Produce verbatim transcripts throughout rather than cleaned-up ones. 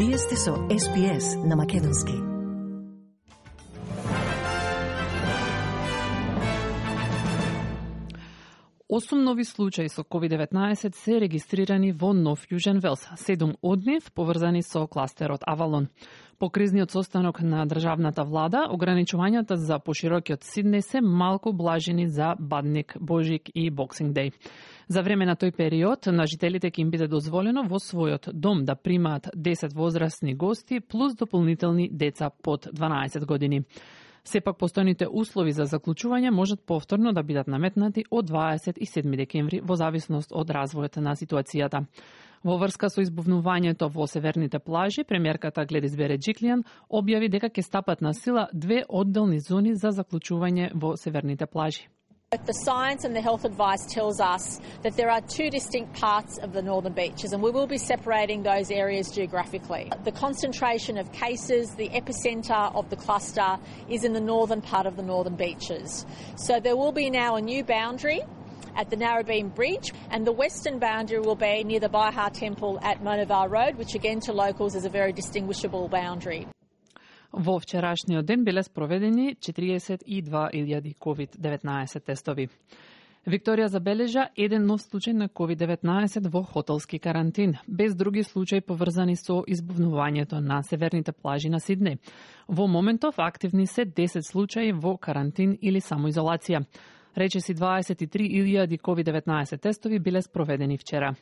Вие сте со Ес Би Ес на македонски. Осум нови случаи со ковид деветнаесет се регистрирани во Нов Јужен Велс, седум од нив поврзани со кластерот Авалон. По кризниот состанок на државната влада, ограничувањата за поширокиот Сиднеј се малку блажени за Бадник, Божик и Боксинг Деј. За време на тој период, на жителите ќе им биде дозволено во својот дом да примаат десет возрастни гости плюс дополнителни деца под дванаесет години. Сепак постојните услови за заклучување можат повторно да бидат наметнати од дваесет и седми декември во зависност од развојот на ситуацијата. Во врска со избувнувањето во северните плажи, премиерката Гледис Береджиклијан објави дека ќе стапат на сила две одделни зони за заклучување во северните плажи. The science and the health advice tells us that there are two distinct parts of the northern beaches, and we will be separating those areas geographically. The concentration of cases, the epicentre of the cluster, is in the northern part of the northern beaches. So there will be now a new boundary at the Narrabeen Bridge, and the western boundary will be near the Baiha Temple at Monavar Road, which again to locals is a very distinguishable boundary. Во вчерашниот ден биле спроведени четириесет и две илјади ковид деветнаесет тестови. Викторија забележа еден нов случај на ковид деветнаесет во хотелски карантин, без други случаи поврзани со избувнувањето на северните плажи на Сиднеј. Во моментов активни се десет случаи во карантин или самоизолација. Речиси дваесет и три илјади ковид деветнаесет тестови биле спроведени вчера.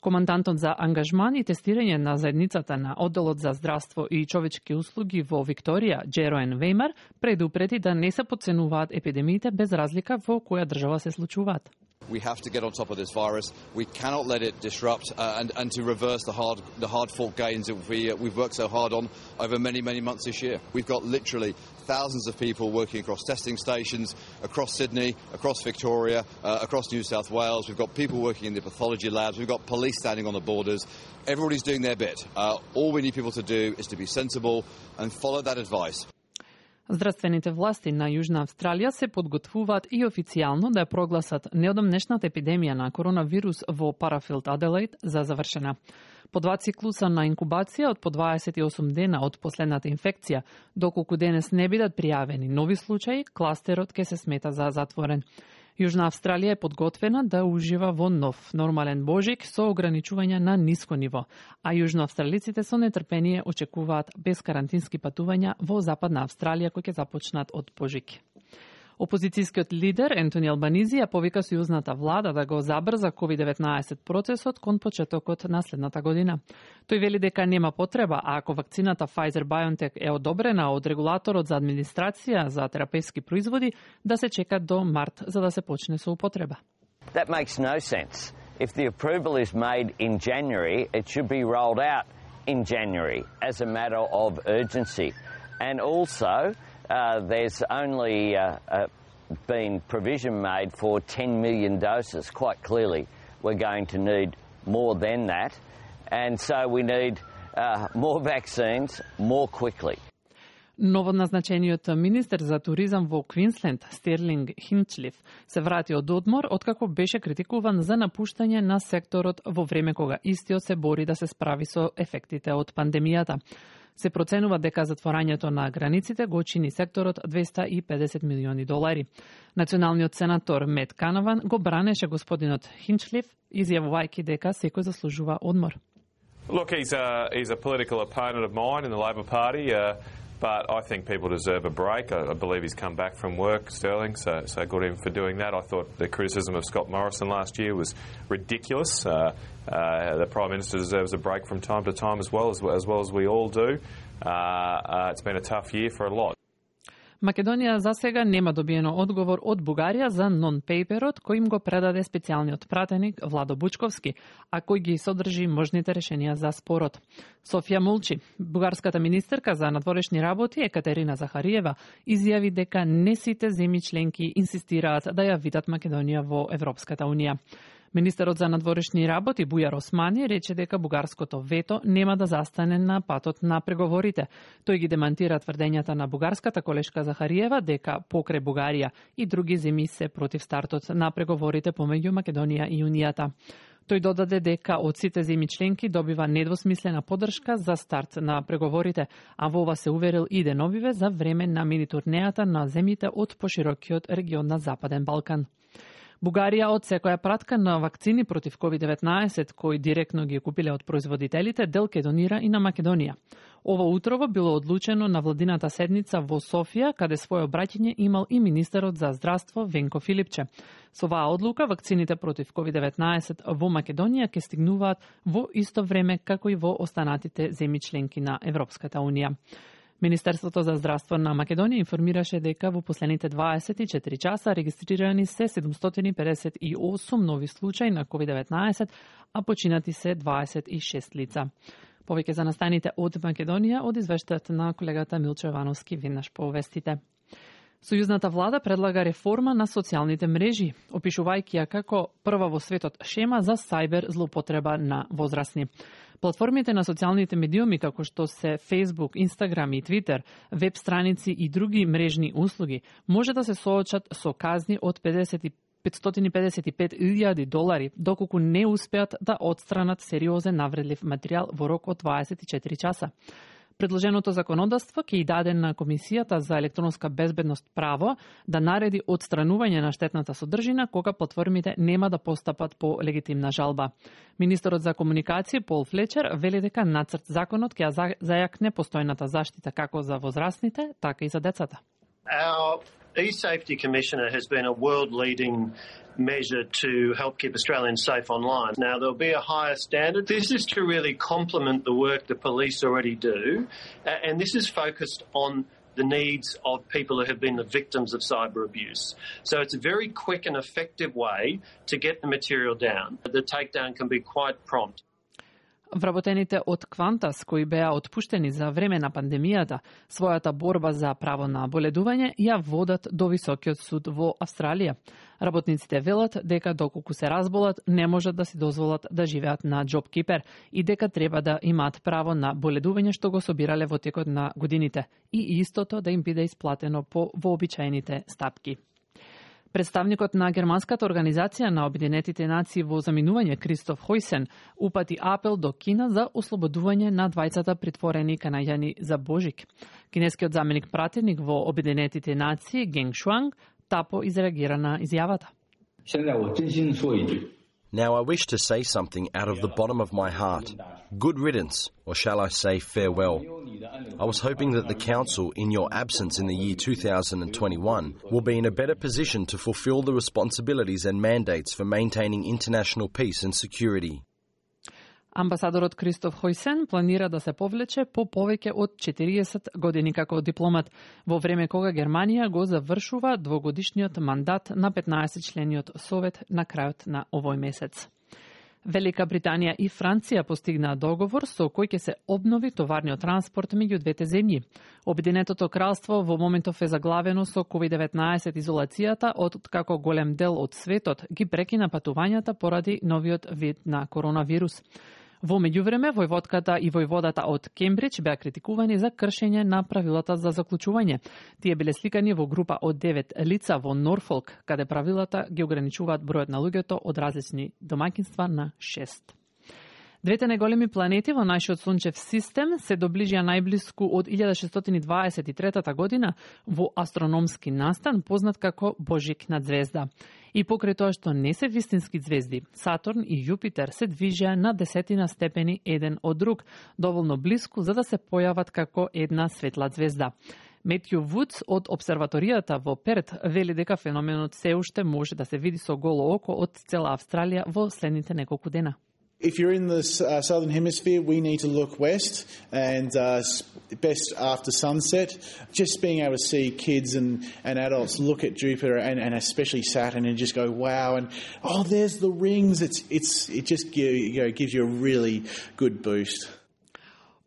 Командантот за ангажман и тестирање на заедницата на Одделот за здравство и човечки услуги во Викторија, Джероен Веймар, предупреди да не се подценуваат епидемиите без разлика во која држава се случуваат. We have to get on top of this virus. We cannot let it disrupt uh, and, and to reverse the hard the hard-fought gains that we, uh, we've worked so hard on over many, many months this year. We've got literally thousands of people working across testing stations, across Sydney, across Victoria, uh, across New South Wales. We've got people working in the pathology labs. We've got police standing on the borders. Everybody's doing their bit. Uh, all we need people to do is to be sensible and follow that advice. Здравствените власти на Јужна Австралија се подготвуваат и официјално да ја прогласат неодамнешната епидемија на коронавирус во Парафилд, Аделаид за завршена. По два циклуса на инкубација од по дваесет и осум дена од последната инфекција, доколку денес не бидат пријавени нови случаи, кластерот ќе се смета за затворен. Јужна Австралија е подготвена да ужива во нов нормален Божик со ограничувања на ниско ниво, а јужноавстралиците со нетрпение очекуваат безкарантински патувања во Западна Австралија кои ќе започнат од Божик. Опозицијскиот лидер Ентони Албанизи ја повика сојузната влада да го забрза ковид деветнаесет процесот кон почетокот на следната година. Тој вели дека нема потреба, а ако вакцината Pfizer-BioNTech е одобрена од регулаторот за администрација за терапевски производи, да се чека до март за да се почне со употреба. That makes no sense. If the approval is made in January, it should be rolled out in January as a matter of urgency. And also, Uh, there's only uh, uh, been provision made for ten million doses. Quite clearly, we're going to need more than that. And so we need uh, more vaccines more quickly. Новоназначениот министер за туризам во Квинсленд, Стерлинг Хинчлиф, се врати од одмор откако беше критикуван за напуштање на секторот во време кога истиот се бори да се справи со ефектите од пандемијата. Се проценува дека затворањето на границите го чини секторот двеста и педесет милиони долари. Националниот сенатор Мет Канаван го бранеше господинот Хинчлиф, изјавувајќи дека секој заслужува одмор. Look, he's a, he's a political opponent of mine in the Labor Party, uh, but I think people deserve a break. I, I believe he's come back from work, Sterling, so, so good on him for doing that. I thought the criticism of Scott Morrison last year was ridiculous. Uh, uh, the Prime Minister deserves a break from time to time as well as, as, well as we all do. Uh, uh, it's been a tough year for a lot. Македонија за сега нема добиено одговор од Бугарија за нон-пейперот кој им го предаде специјалниот пратеник Владо Бучковски, а кој ги содржи можните решенија за спорот. Софија молчи. Бугарската министерка за надворешни работи Екатерина Захариева изјави дека не сите земји членки инсистираат да ја видат Македонија во Европската унија. Министерот за надворешни работи Бујар Османи рече дека бугарското вето нема да застане на патот на преговорите. Тој ги демантира тврдењата на бугарската колешка Захариева дека покрај Бугарија и други земји се против стартот на преговорите помеѓу Македонија и Унијата. Тој додаде дека од сите земји членки добива недвосмислена поддршка за старт на преговорите, а во ова се уверил и деновиве за време на мини турнејата на земјите од поширокиот регион на Западен Балкан. Бугарија од секоја пратка на вакцини против ковид деветнаесет, кои директно ги купиле од производителите, дел ке донира и на Македонија. Ово утрово било одлучено на владината седница во Софија, каде своје обраќање имал и министерот за здравство Венко Филипче. Со оваа одлука, вакцините против ковид деветнаесет во Македонија ќе стигнуваат во исто време како и во останатите земји членки на Европската Унија. Министерството за здравство на Македонија информираше дека во последните дваесет и четири часа регистрирани се седумстотини педесет и осум нови случаи на ковид деветнаесет, а починати се дваесет и шест лица. Повеќе за настаните од Македонија од извештајот на колегата Милчо Јовановски веднаш по вестите. Сојузната влада предлага реформа на социјалните мрежи, опишувајќи ја како прва во светот шема за сајбер злоупотреба на возрастни. Платформите на социјалните медиуми, како што се Facebook, Instagram и Twitter, веб страници и други мрежни услуги, може да се соочат со казни од петстотини педесет и пет илјади долари, доколку не успеат да отстранат сериозен навредлив материјал во рок од дваесет и четири часа. Предложеното законодавство ќе и даде на Комисијата за електронска безбедност право да нареди отстранување на штетната содржина кога платформите нема да постапат по легитимна жалба. Министерот за комуникација Пол Флечер вели дека нацрт законот ќе зајакне постојната заштита како за возрастните, така и за децата. Our eSafety Commissioner has been a world-leading measure to help keep Australians safe online. Now, there'll be a higher standard. This is to really complement the work the police already do, and this is focused on the needs of people who have been the victims of cyber abuse. So it's a very quick and effective way to get the material down. The takedown can be quite prompt. Вработените од Квантас, кои беа отпуштени за време на пандемијата, својата борба за право на боледување ја водат до Високиот суд во Австралија. Работниците велат дека доколку се разболат, не можат да си дозволат да живеат на JobKeeper и дека треба да имаат право на боледување што го собирале во текот на годините и истото да им биде исплатено по вообичаените стапки. Представникот на германската организација на Обединетите нации во заминување Кристоф Хойсен упати апел до Кина за ослободување на двајцата притворени канаѓани за Божик. Кинескиот заменик пратеник во Обединетите нации Генг Шуанг тапо изреагира на изјавата. Now I wish to say something out of the bottom of my heart. Good riddance, or shall I say farewell. I was hoping that the Council, in your absence in the year two thousand twenty-one, will be in a better position to fulfil the responsibilities and mandates for maintaining international peace and security. Амбасадорот Кристоф Хойсен планира да се повлече по повеќе од четириесет години како дипломат, во време кога Германија го завршува двогодишниот мандат на петнаесетчлениот совет на крајот на овој месец. Велика Британија и Франција постигнаа договор со кој ќе се обнови товарниот транспорт меѓу двете земји. Обединетото кралство во моментов е заглавено со ковид деветнаесет изолацијата, од како голем дел од светот ги прекина патувањата поради новиот вид на коронавирус. Во меѓувреме, војводката и војводата од Кембридж беа критикувани за кршење на правилата за заклучување. Тие биле сликани во група од девет лица во Норфолк, каде правилата ги ограничуваат бројот на луѓето од различни домаќинства на шест. Двете најголеми планети во нашиот сончев систем се доближија најблиску од илјада шестстотини дваесет и трета година во астрономски настан, познат како Божикна звезда. И покрај тоа што не се вистински звезди, Сатурн и Јупитер се движеа на десетина степени еден од друг, доволно блиску за да се појават како една светла звезда. Метју Вудс од обсерваторијата во Перт вели дека феноменот се уште може да се види со голо око од цела Австралија во следните неколку дена. If you're in the uh, southern hemisphere, we need to look west and uh, best after sunset. Just being able to see kids and, and adults look at Jupiter and, and especially Saturn and just go, wow, and oh, there's the rings. It's it's it just give, you know, gives you a really good boost.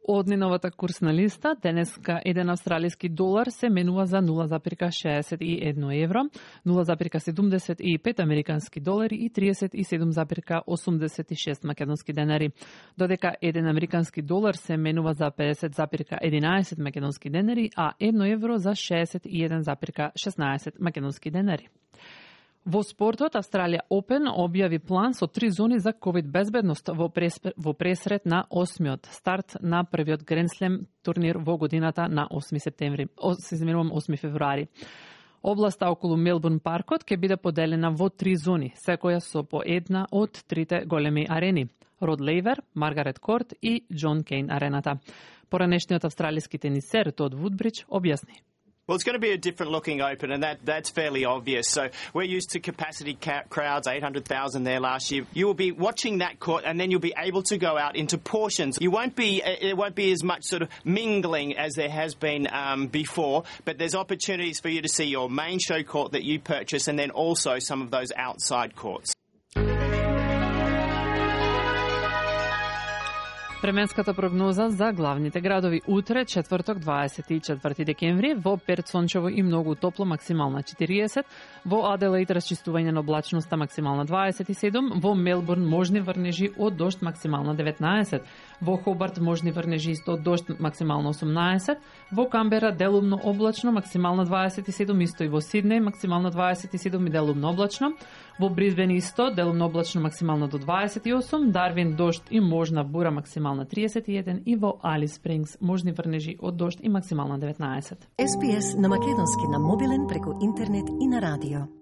Од неновата курсна листа, денеска еден австралиски долар се менува за нула запирка шеесет и едно евро, нула запирка седумдесет и пет американски долари и триесет и седум запирка осумдесет и шест македонски денари, додека еден американски долар се менува за педесет запирка единаесет македонски денари, а едно евро за шеесет и еден запирка шеснаесет македонски денари. Во спортот, Австралија Опен објави план со три зони за ковид безбедност во, прес, во пресрет на осмиот старт на првиот Гренслем турнир во годината на осми септември, осми февруари. Областа околу Мелбурн паркот ќе биде поделена во три зони, секоја со по една од трите големи арени: Род Лейвер, Маргарет Корт и Џон Кейн арената. Поранешниот австралиски тенисер Тод Вудбридж објасни. Well, it's going to be a different looking Open, and that, that's fairly obvious. So we're used to capacity ca- crowds, eight hundred thousand there last year. You will be watching that court, and then you'll be able to go out into portions. You won't be, it won't be as much sort of mingling as there has been um, before, but there's opportunities for you to see your main show court that you purchase, and then also some of those outside courts. Временската прогноза за главните градови утре, четврток, дваесет и четврти декември, во Перт сончево и многу топло, максимална четириесет, во Аделаид расчистување на облачноста, максимална дваесет и седум, во Мелбурн можни врнежи од дожд, максимална деветнаесет, во Хобарт можни врнежи исто од дожд, максимална осумнаесет, во Камбера делумно облачно, максимална дваесет и седум, исто и во Сиднеј, максимална дваесет и седум и делумно облачно, во Брисбен исто, делумно облачно, максимална до дваесет и осум, Дарвин дожд и можна бура, максимална триесет и еден, и во Алис Спрингс можни врнежи од дожд и максимална деветнаесет. Ес Би Ес на македонски на мобилен преку интернет и на радио.